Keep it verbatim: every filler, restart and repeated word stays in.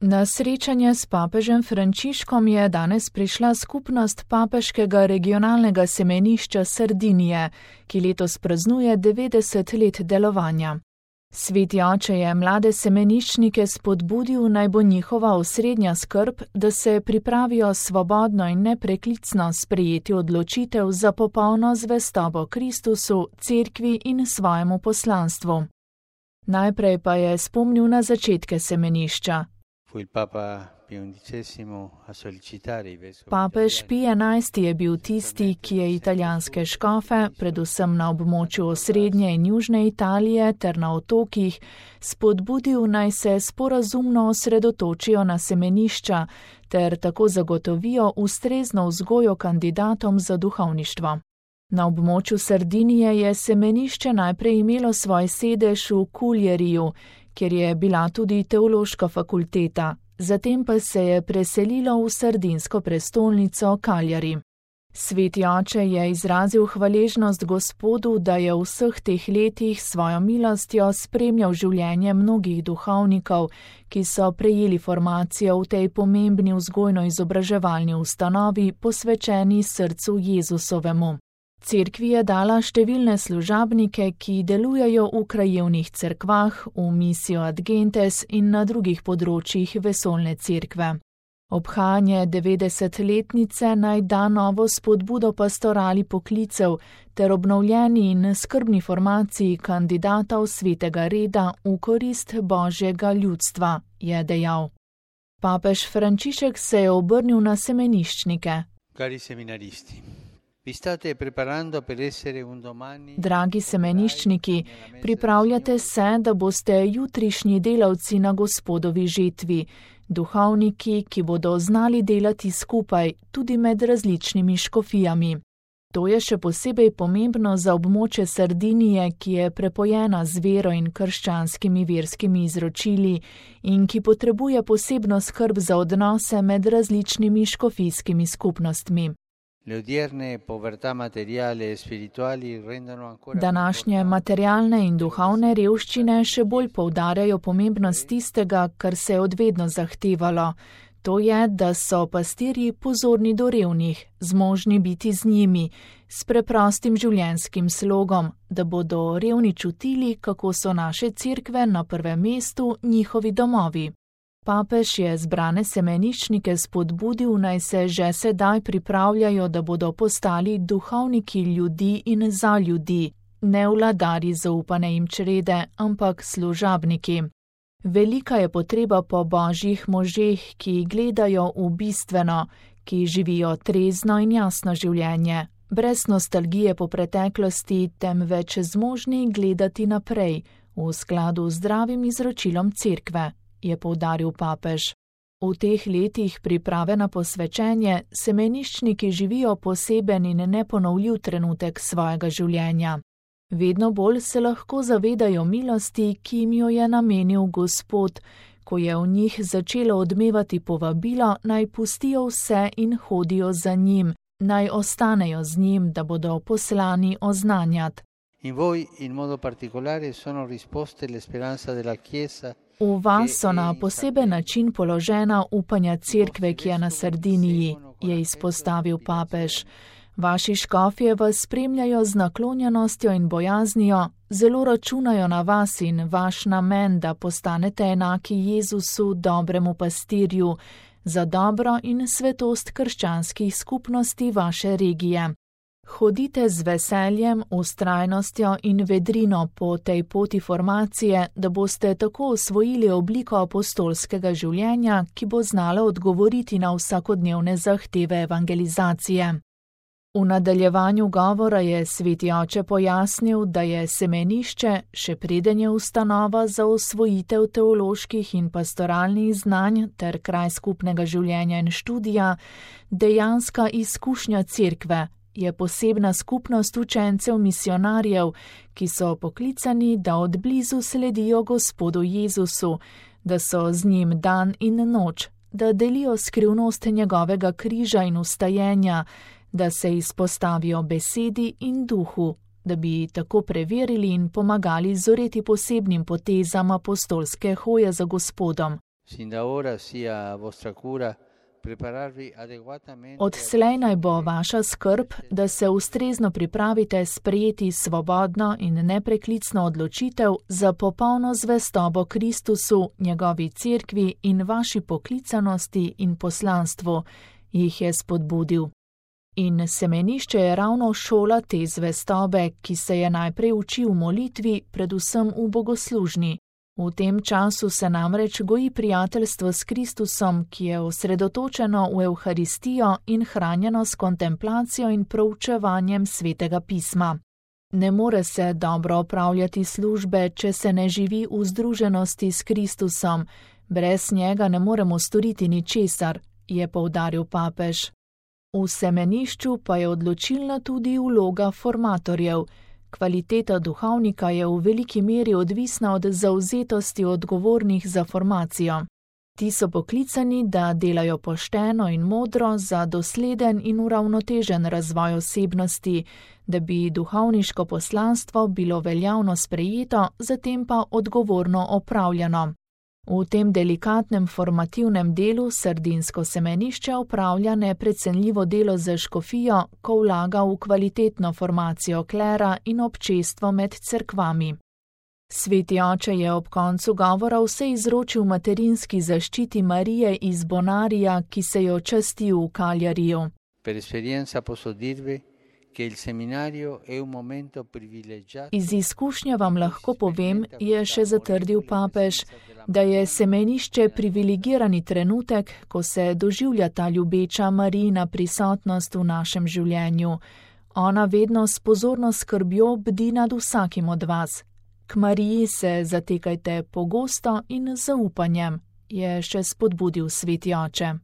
Na srečanje s papežem Frančiškom je danes prišla skupnost papeškega regionalnega semenišča Sardinije, ki letos praznuje devetdeset let delovanja. Sveti oče je mlade semeniščnike spodbudil, naj bo njihova osrednja skrb, da se pripravijo svobodno in nepreklicno sprejeti odločitev za popolno zvestobo Kristusu, cerkvi in svojemu poslanstvu. Najprej pa je spomnil na začetke semenišča. Papež Pij enajsti je bil tisti, ki je italijanske škofe, predvsem na območju osrednje in južne Italije ter na otokih, spodbudil, naj se sporazumno osredotočijo na semenišča ter tako zagotovijo ustrezno vzgojo kandidatom za duhovništvo. Na območju Sardinije je semenišče najprej imelo svoj sedež v Kuljeriju, kjer je bila tudi teološka fakulteta, zatem pa se je preselilo v sardinsko prestolnico Cagliari. Sveti oče je izrazil hvaležnost Gospodu, da je v vseh teh letih svojo milostjo spremljal življenje mnogih duhovnikov, ki so prejeli formacijo v tej pomembni vzgojno-izobraževalni ustanovi, posvečeni srcu Jezusovemu. Cerkvi je dala številne služabnike, ki delujejo v krajevnih cerkvah, v misijo Ad Gentes in na drugih področjih vesoljne cerkve. Obhajanje devetdesetletnice naj da novo spodbudo pastorali poklicev ter obnovljeni in skrbni formaciji kandidatov svetega reda v korist Božjega ljudstva, je dejal. Papež Frančišek se je obrnil na semeniščnike. Cari seminaristi. Vi state preparando per essere un domani... Dragi semeniščniki, pripravljate se, da boste jutrišnji delavci na Gospodovi žetvi, duhovniki, ki bodo znali delati skupaj, tudi med različnimi škofijami. To je še posebej pomembno za območje Sardinije, ki je prepojena z vero in krščanskimi verskimi izročili in ki potrebuje posebno skrb za odnose med različnimi škofijskimi skupnostmi. Današnje materialne in duhovne revščine še bolj poudarjajo pomembnost tistega, kar se je odvedno zahtevalo. To je, da so pastirji pozorni do revnih, zmožni biti z njimi, s preprostim življenjskim slogom, da bodo revni čutili, kako so naše cerkve na prvem mestu njihovi domovi. Papež je zbrane semeniščnike spodbudil, naj se že sedaj pripravljajo, da bodo postali duhovniki ljudi in za ljudi, ne vladarji zaupane jim črede, ampak služabniki. Velika je potreba po božjih možeh, ki gledajo v bistveno, ki živijo trezno in jasno življenje, brez nostalgije po preteklosti, temveč zmožni gledati naprej, v skladu z zdravim izročilom cerkve, je poudaril papež. V teh letih priprave na posvečenje semeniščniki živijo poseben in neponovljiv trenutek svojega življenja. Vedno bolj se lahko zavedajo milosti, ki jim jo je namenil Gospod, ko je v njih začelo odmevati povabilo, naj pustijo vse in hodijo za njim, naj ostanejo z njim, da bodo poslani oznanjat. In voi in modo particolare sono risposte le speranza della Chiesa. V vas so na poseben način položena upanja cerkve, ki je na Sardiniji, je izpostavil papež. Vaši škofje vas spremljajo z naklonjenostjo in bojaznijo, zelo računajo na vas in vaš namen, da postanete enaki Jezusu, dobremu pastirju, za dobro in svetost krščanskih skupnosti vaše regije. Hodite z veseljem, vztrajnostjo in vedrino po tej poti formacije, da boste tako osvojili obliko apostolskega življenja, ki bo znala odgovoriti na vsakodnevne zahteve evangelizacije. V nadaljevanju govora je sveti oče pojasnil, da je semenišče, še preden je ustanova za osvojitev teoloških in pastoralnih znanj ter kraj skupnega življenja in študija, dejanska izkušnja cerkve, je posebna skupnost učencev misionarjev, ki so poklicani, da od blizu sledijo Gospodu Jezusu, da so z njim dan in noč, da delijo skrivnost njegovega križa in vstajenja, da se izpostavijo besedi in duhu, da bi tako preverili in pomagali zoreti posebnim potezam apostolske hoje za Gospodom. Sin da ora sia vostra cura prepararvi adeguatamente. Odslej naj bo vaša skrb, da se ustrezno pripravite sprejeti svobodno in nepreklicno odločitev za popolno zvestobo Kristusu, njegovi cerkvi in vaši poklicanosti in poslanstvu, jih je spodbudil. In semenišče je ravno šola te zvestobe, ki se je najprej uči v molitvi, predvsem v bogoslužni. V tem času se namreč goji prijateljstvo s Kristusom, ki je osredotočeno v Evharistijo in hranjeno s kontemplacijo in proučevanjem Svetega pisma. Ne more se dobro opravljati službe, če se ne živi v združenosti s Kristusom. Brez njega ne moremo storiti ničesar, je poudaril papež. V semenišču pa je odločilna tudi vloga formatorjev. Kvaliteta duhovnika je v veliki meri odvisna od zavzetosti odgovornih za formacijo. Ti so poklicani, da delajo pošteno in modro za dosleden in uravnotežen razvoj osebnosti, da bi duhovniško poslanstvo bilo veljavno sprejeto, zatem pa odgovorno opravljeno. V tem delikatnem formativnem delu sardinsko semenišče opravlja neprecenljivo delo za škofijo, ko vlaga v kvalitetno formacijo klera in občestvo med cerkvami. Sveti oče je ob koncu govora vse izročil materinski zaščiti Marije iz Bonarija, ki se jo časti v Kaljariju. Per esperienza posso dirvi che il seminario è un momento privilegiato. Iz izkušnje vam lahko povem, je še zatrdil papež, da je semenišče privilegirani trenutek, ko se doživlja ta ljubeča Marijina prisotnost v našem življenju. Ona vedno s pozorno skrbjo bdi nad vsakim od vas. K Mariji se zatekajte pogosto in z zaupanjem, je še spodbudil sveti oče.